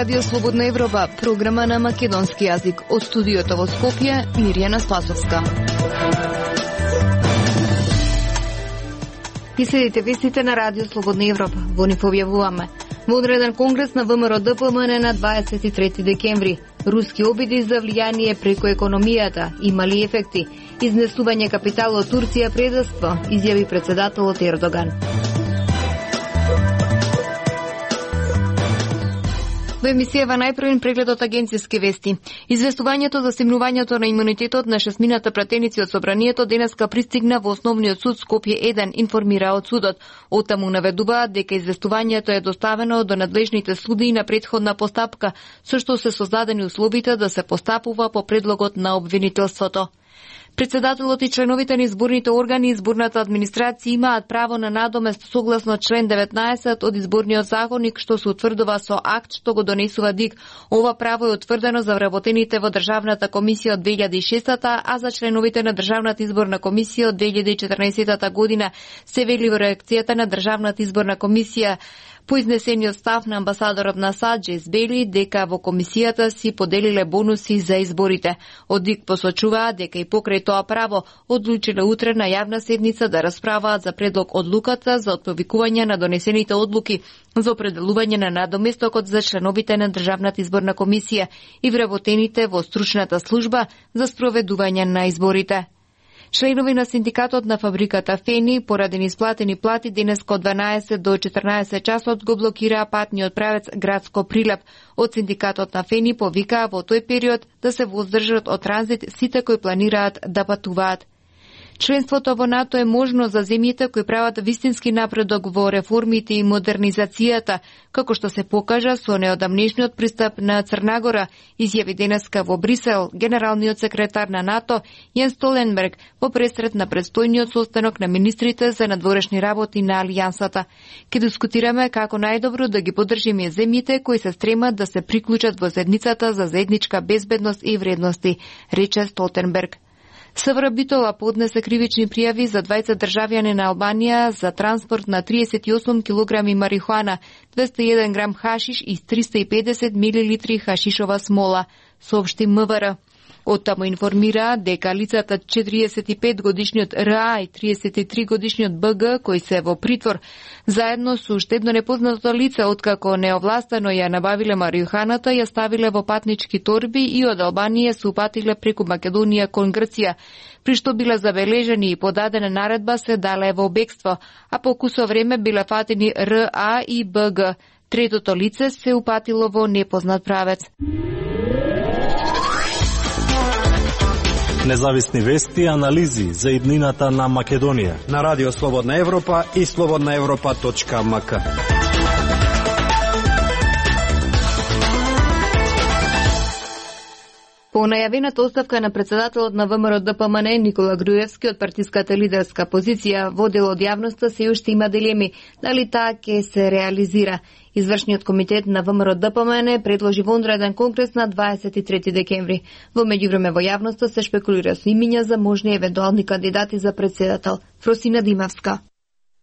Радио Слободна Европа, програма на македонски јазик. Од студиото во Скопје, Мирјана Спасовска. И следите вестите на Радио Слободна Европа. Во нив објавуваме. Водреден конгрес на ВМРО ДПМН на 23 декември. Руски обиди за влијание преку економијата имали ефекти. Изнесување капитал од Турција предавство, изјави председателот Ердоган. Во емисијава најпрвен преглед од агенцијски вести. Известувањето за стемнувањето на имунитетот на шестмината пратеници од собранието денеска пристигна во Основниот суд Скопје 1, информира од судот. Оттаму наведуваат дека известувањето е доставено до надлежните суди на претходна постапка, со што се создадени условите да се постапува по предлогот на обвинителството. Председателот и членовите на изборните органи и изборната администрација имаат право на надомест согласно член 19 од изборниот законник, што се утврдува со акт што го донесува ДИК. Ова право е утврдено за вработените во Државната комисија од 2006, а за членовите на Државната изборна комисија од 2014 година, се вели во реакцијата на Државната изборна комисија. По изнесениот став на амбасадорот на САД Джейс Бейли дека во комисијата си поделиле бонуси за изборите. Од ДИК посочуваа дека и покрај тоа право одлучиле утре на јавна седница да расправаат за предлог одлуката за отповикување на донесените одлуки за определување на надоместокот за членовите на Државната изборна комисија и вработените во стручната служба за спроведување на изборите. Членови на синдикатот на фабриката Фени, поради неисплатени плати, денеска од 12 до 14 часот го блокираа патниот правец Градско Прилеп. Од синдикатот на Фени повикаа во тој период да се воздржат од транзит сите кои планираат да патуваат. Членството во НАТО е можно за земјите кои прават вистински напредок во реформите и модернизацијата, како што се покажа со неодамнешниот пристап на Црнагора, изјави денеска во Брисел генералниот секретар на НАТО Јенс Столенберг во пресрет на предстојниот состанок на министрите за надворешни работи на Алијансата. Ке дискутираме како најдобро да ги поддржиме земјите кои се стремат да се приклучат во заедницата за заедничка безбедност и вредности, рече Столтенберг. СВР Битола поднесе кривични пријави за 20 државјани на Албанија за транспорт на 38 килограми марихуана, 201 грам хашиш и 350 милилитри хашишова смола, соопшти МВР. Оттаму информира дека лицата 45 годишниот РА и 33 годишниот БГ кои се во притвор заедно со уште едно непознато лице откако неовластено ја набавиле марихуаната, ја ставиле во патнички торби и од Албанија се упатиле преку Македонија кон Грција, при што биле забележени и подадена наредба се дале во бегство, а по кусо време биле фатени РА и БГ. Третото лице се упатило во непознат правец. Независни вести и анализи за иднината на Македонија на Радио Слободна Европа и slobodnaevropa.mk. По најавената оставка на председателот на ВМРО ДПМН Никола Груевски од партиската лидерска позиција во дел од јавноста се уште има дилеми дали таа ќе се реализира. Извршниот комитет на ВМРО ДПМН предложи вонреден конгрес на 23 декември. Во меѓувреме во јавноста се шпекулира со имиња за можни евентуални кандидати за председател. Фросина Димавска.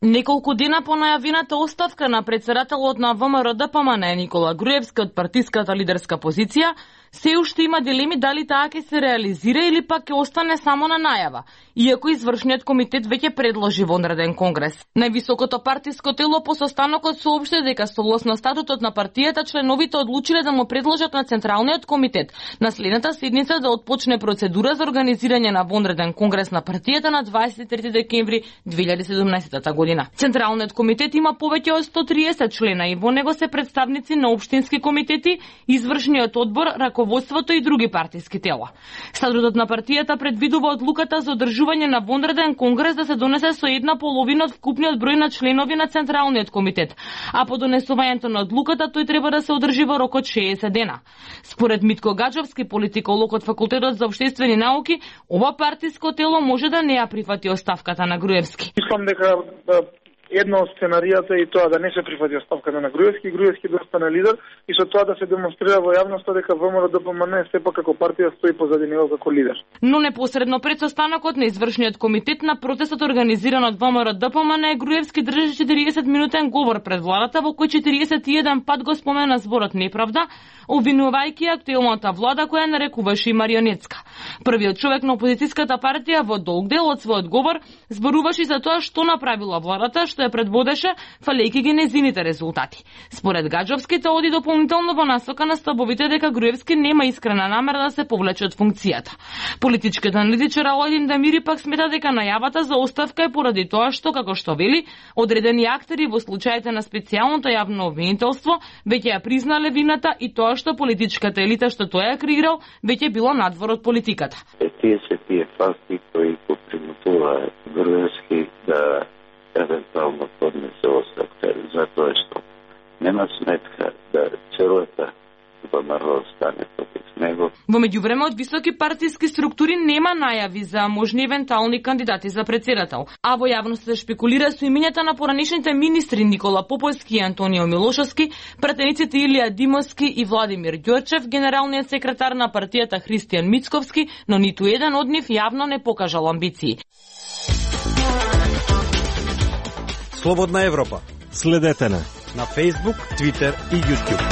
Неколку дена по најавената оставка на председателот на ВМРО ДПМН Никола Груевски од партиската лидерска позиција, се уште има дилеми дали таа ќе се реализира или пак ќе остане само на најава, иако извршниот комитет веќе предложи вонреден конгрес. Највисокото партиско тело по состанокот соопшти дека согласно статутот на партијата членовите одлучиле да му предложат на Централниот комитет на следната седница да отпочне процедура за организирање на вонреден конгрес на партијата на 23 декември 2017 година. Централниот комитет има повеќе од 130 члена и во него се представници на општински комитети, извршниот одбор, раководството и други партиски тела. Статутот на партијата предвидува одлуката за одржување на вонреден конгрес да се донесе со 1/2 од вкупниот број на членови на Централниот комитет, а по донесувањето на одлуката тој треба да се одржи во рок од 60 дена. Според Митко Гаджовски, политиколог од Факултетот за општествени науки, ова партиско тело може да не ја прифати оставката на Груевски. Мислам дека Едно од сценаријата е тоа да не се прифати оставката на Груевски да остане лидер и со тоа да се демонстрира во јавноста дека ВМРО-ДПМН сепак како партија стои позади него како лидер. Но непосредно пред состанокот на извршниот комитет на протестот организиран од ВМРО-ДПМН, Груевски држи 40-минутен говор пред владата во кој 41 пат го спомена зборот неправда, обвинувајќи актуелната влада која нарекуваше и марионетска. Првиот човек на опозицијската партија во долг дел од својот говор зборуваше за тоа што направила владата, што ја предводеше, фалејќи ги незините резултати. Според Гаджовски, тоа оди дополнително во насока на стабовите дека Груевски нема искрена намера да се повлече од функцијата. Политичкиот аналитичар Аладин Дамири пак смета дека најавата за оставка е поради тоа што, како што вели, одредени актери во случаите на специјалното јавно обвинителство веќе ја признале вината и тоа што политичката елита што тој ја креирал веќе било надвор од политиката. Тие се тие факти кои го примутуваат Груевски да евентуално поднесе оставка, затоа што нема сметка да целата ВМРО стане против него. Во меѓувреме од високи партиски структури нема најави за можни евентуални кандидати за претседател, а во јавност се шпекулира со имињата на поранишните министри Никола Поповски и Антонио Милошовски, пратениците Илија Димовски и Владимир Ѓорчев, генералниот секретар на партијата Христијан Мицковски, но ниту еден од нив јавно не покажал амбиции. Слободна Европа. Следете на Facebook, Twitter и YouTube.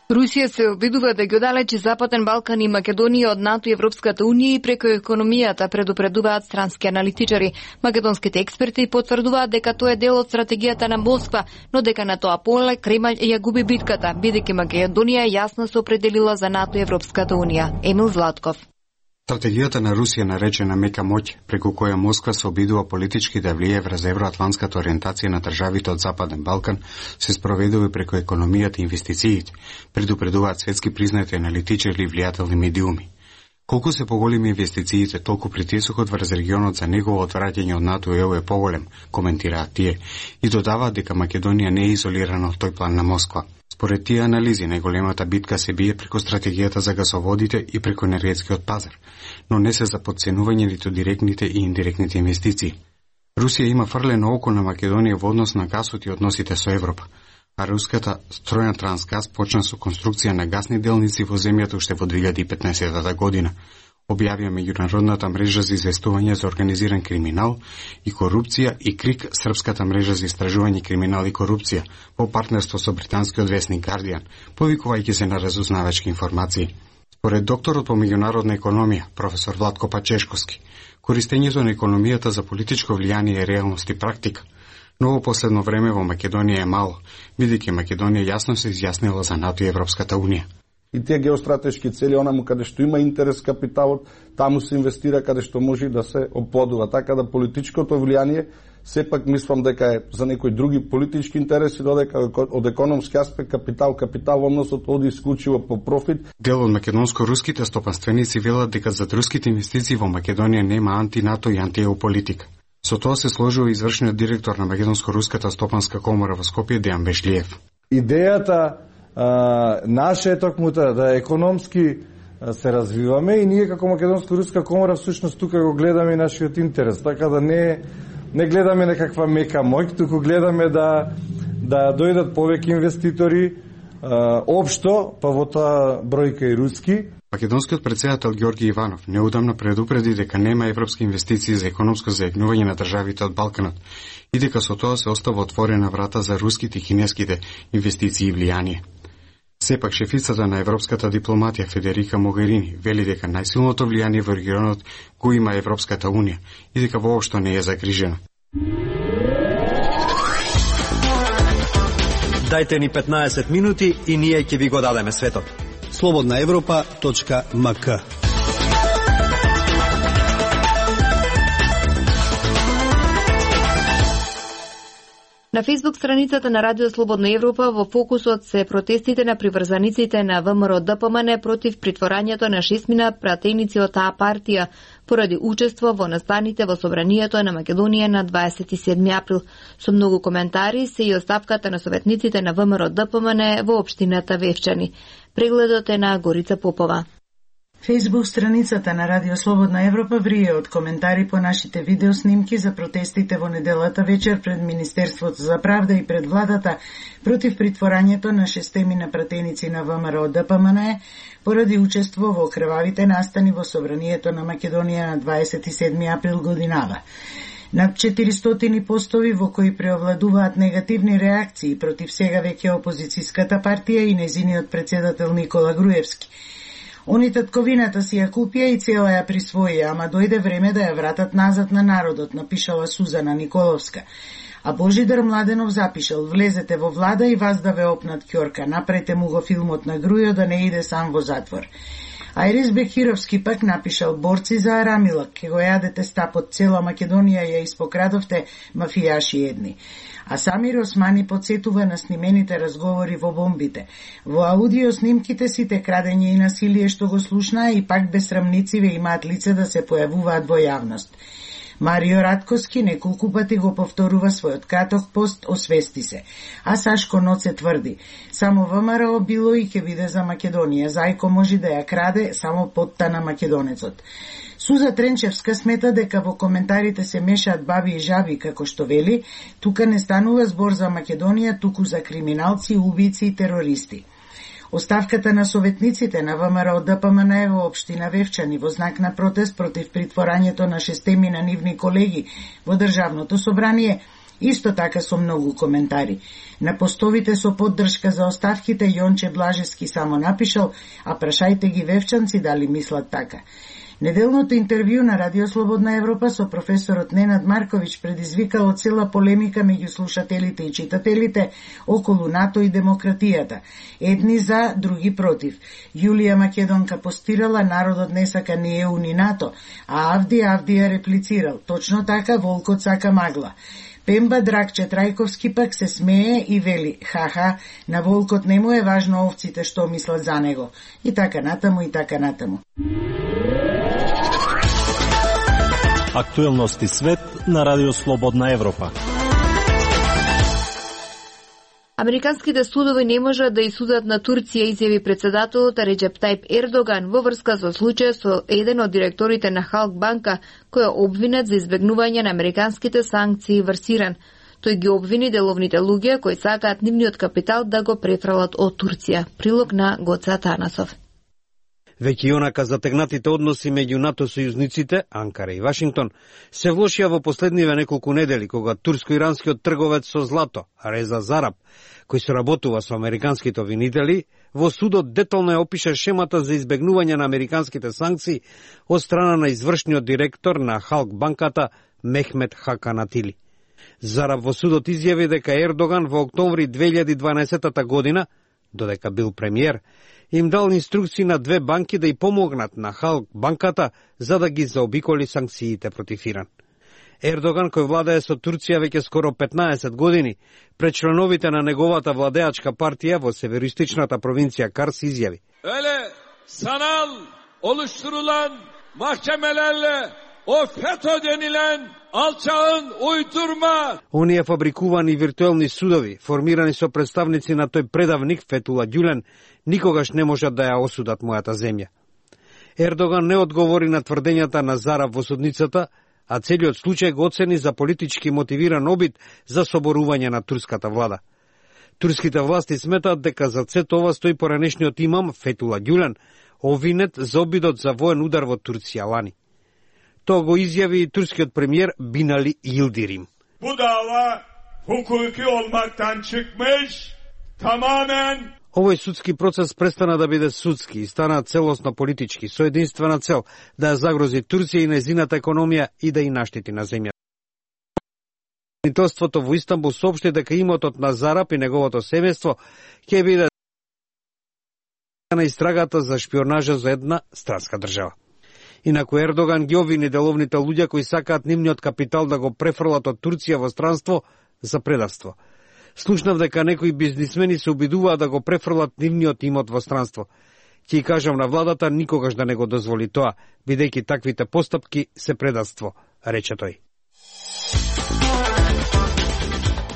Русија се обидува да ги оддалечи Западен Балкан и Македонија од НАТО и Европската Унија и преку економијата, предупредуваат странски аналитичари. Македонските експерти потврдуваат дека тоа е дел од стратегијата на Москва, но дека на тоа поле Кремљ ја губи битката, бидејќи Македонија јасно се определила за НАТО и Европската Унија. Емил Златков. Стратегијата на Русија, наречена мека моќ, преку која Москва се обидува политички да влие врз евроатлантската ориентација на државите од Западен Балкан, се спроведува преку економијата и инвестициите, предупредуваат светски признати аналитичари и влијателни медиуми. Колку се поголеми инвестициите, толку притисокот врз регионот за негово отвраќање од НАТО и ЕУ е поголем, коментираат тие, и додаваат дека Македонија не е изолирана од тој план на Москва. Според тие анализи, најголемата битка се бие преку стратегијата за гасоводите и преку енергетскиот пазар, но не се за подценување ниту директните и индиректните инвестиции. Русија има фрлено око на Македонија во однос на гасот и односите со Европа, а руската стројна Трансгаз почна со конструкција на гасни делници во земјата уште во 2015 година. Објавија меѓународната мрежа за известување за организиран криминал и корупција и КРИК, српската мрежа за истражување криминал и корупција, во партнерство со британскиот весник Guardian, повикувајќи се на разузнавачки информации. Според докторот по меѓународна економија, професор Владко Пачешковски, користењето на економијата за политичко влијание е реалност и практика, но во последно време во Македонија е мало, бидејќи Македонија јасно се изјаснила за НАТО и Европската Унија. И тие геостратешки цели, онаму каде што има интерес капиталот, таму се инвестира каде што може да се оплодува. Така да политичкото влијание, сепак мислам дека е за некои други политички интереси, додека од економски аспект капитал односот оди исклучиво по профит. Дел од македонско-руските стопанственици велат дека за руските инвестиции во Македонија нема анти-НАТО и анти-ЕУ политика. Со тоа се сложува извршниот директор на Македонско-руската стопанска комора во Скопје Дејан Бешлиев. Идејата наша е токмута да економски се развиваме и ние како Македонско-руска комора всушност тука го гледаме нашиот интерес, така да не гледаме некаква мека моќ, туку гледаме да дојдат повеќе инвеститори општо, па во тоа бројка и руски. Македонскиот претседател Ѓорги Иванов неудамно предупреди дека нема европски инвестиции за економско заеднување на државите од Балканот и дека со тоа се остава отворена врата за руските и кинеските инвестиции и влијание. Сепак шефицата на европската дипломатија Федерика Могерини вели дека најсилното влијание во регионот го има Европската Унија и дека воопшто не е загрижена. Дајте ни 15 минути и ние ќе ви го дадеме светот. slobodnaevropa.mk. На Facebook страницата на Радио Слободна Европа во фокусот се протестите на приврзаниците на ВМРО-ДПМН против притворањето на 6 пратеници од таа партија поради учество во настаните во собранието на Македонија на 27 април. Со многу коментари се и оставката на советниците на ВМРО-ДПМН во општината Вевчани. Прегледот е на Горица Попова. Фејсбук страницата на Радио Слободна Европа врие од коментари по нашите видеоснимки за протестите во неделата вечер пред Министерството за правда и пред владата против притворањето на 6 пратеници на ВМРО ДПМНЕ поради учество во крвавите настани во Собранието на Македонија на 27 април годинава. Над 400 постови во кои преовладуваат негативни реакции против сега веќе опозицијската партија и незиниот председател Никола Груевски. Они татковината си ја купија и цела ја присвоија, ама дојде време да ја вратат назад на народот, напишала Сузана Николовска. А Божидар Младенов запишал: влезете во влада и вас да ве опнат ќорка, направете му го филмот на Грујо да не иде сам во затвор. Ајрис Бехировски пак напишал: борци за Арамилак, ке го јадете стапот, цела Македонија ја испокрадовте, мафијаши едни. А Самир Османи подсетува на снимените разговори во бомбите. Во аудио снимките сите крадење и насилие што го слушнаа и пак безсрамници ве имаат лице да се појавуваат во јавност. Марио Радковски неколку пати го повторува својот краток пост "Освести се", а Сашко Ноце тврди: само ВМРО било и ќе биде за Македонија, зајко може да ја краде само потта на македонецот. Суза Тренчевска смета дека во коментарите се мешаат баби и жаби, како што вели, тука не станува збор за Македонија, туку за криминалци, убици и терористи. Оставката на советниците на ВМРО ДПМНЕ во општина Вевчани во знак на протест против притворањето на 6 нивни колеги во Државното собрание, исто така со многу коментари. На постовите со поддршка за оставките Јонче Блажевски само напишал: а прашајте ги вевчанци дали мислат така. Неделното интервју на Радио Слободна Европа со професорот Ненад Марковиќ предизвикало цела полемика меѓу слушателите и читателите околу НАТО и демократијата. Едни за, други против. Јулија Македонка постирала: народот не сака ни ЕУ ни НАТО, а Авдија реплицирал: точно така, волкот сака магла. Пемба Драгче Трајковски пак се смее и вели: ха-ха, на волкот не му е важно овците што мислат за него. И така натаму, и така натаму. Актуелности свет на Радио Слободна Европа. Американските судови не можат да исудат на Турција, изјави председателот Реџеп Тајп Ердоган во врска со случај со еден од директорите на Халк банка, кој е обвинет за избегнување на американските санкции врз Иран. Тој ги обвини деловните луѓе кои сакаат нивниот капитал да го префрлат од Турција. Прилог на Гоца Танасов. Веќе онака затегнатите односи меѓу НАТО сојузниците, Анкара и Вашингтон, се влошија во последниве неколку недели, кога турско-иранскиот трговец со злато, Реза Зараб, кој соработува со американските обвинители, во судот детално ја опиша шемата за избегнување на американските санкции од страна на извршниот директор на Халк банката Мехмет Хакан Атили. Зараб во судот изјави дека Ердоган во октомври 2012 година, додека бил премиер, им дал инструкции на две банки да ја помогнат на Халк банката за да ги заобиколи санкциите против Иран. Ердоган, кој владее со Турција веќе скоро 15 години, пред членовите на неговата владеачка партија во североистичната провинција Карс изјави: Öyle sanal oluşturulan mahkemelerle o FETÖ denilen alçağın uydurma. Оние фабрикувани виртуелни судови, формирани со представници на тој предавник Фетула Ѓулен, никогаш не можат да ја осудат мојата земја. Ердоган не одговори на тврдењата на Зараб во судницата, а целиот случај го оцени за политички мотивиран обид за соборување на турската влада. Турските власти сметаат дека за сето ова стои поранешниот имам Фетула Ѓулен, обвинет за обидот за воен удар во Турција лани. Тоа го изјави и турскиот премиер Бинали Йилдирим. Bu dava hukuki olmaktan çıkmış, tamamen Овој судски процес престана да биде судски и стана целосно политички, со единствена цел да ја загрози Турција и незината економија и да ја наштети на земја. Правителството во Истанбул соопшти дека имотот на Зараб и неговото семејство ќе биде на истрагата за шпионажа за една странска држава. Инаку Ердоган ги обвини деловните луѓе кои сакаат нивниот капитал да го префрлат од Турција во странство за предавство. Слушнав дека некои бизнисмени се обидуваат да го префрлат нивниот имот во странство. Ќе кажам на владата никогаш да не го дозволи тоа, бидејќи таквите постапки се предавство, рече тој.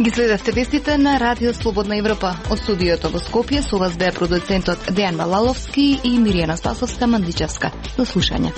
Ги следевте вестите на Радио Слободна Европа. Од студиото во Скопје со вас беа продуцентот Дејан Малаловски и Миријана Спасовска Мандичевска. До слушање.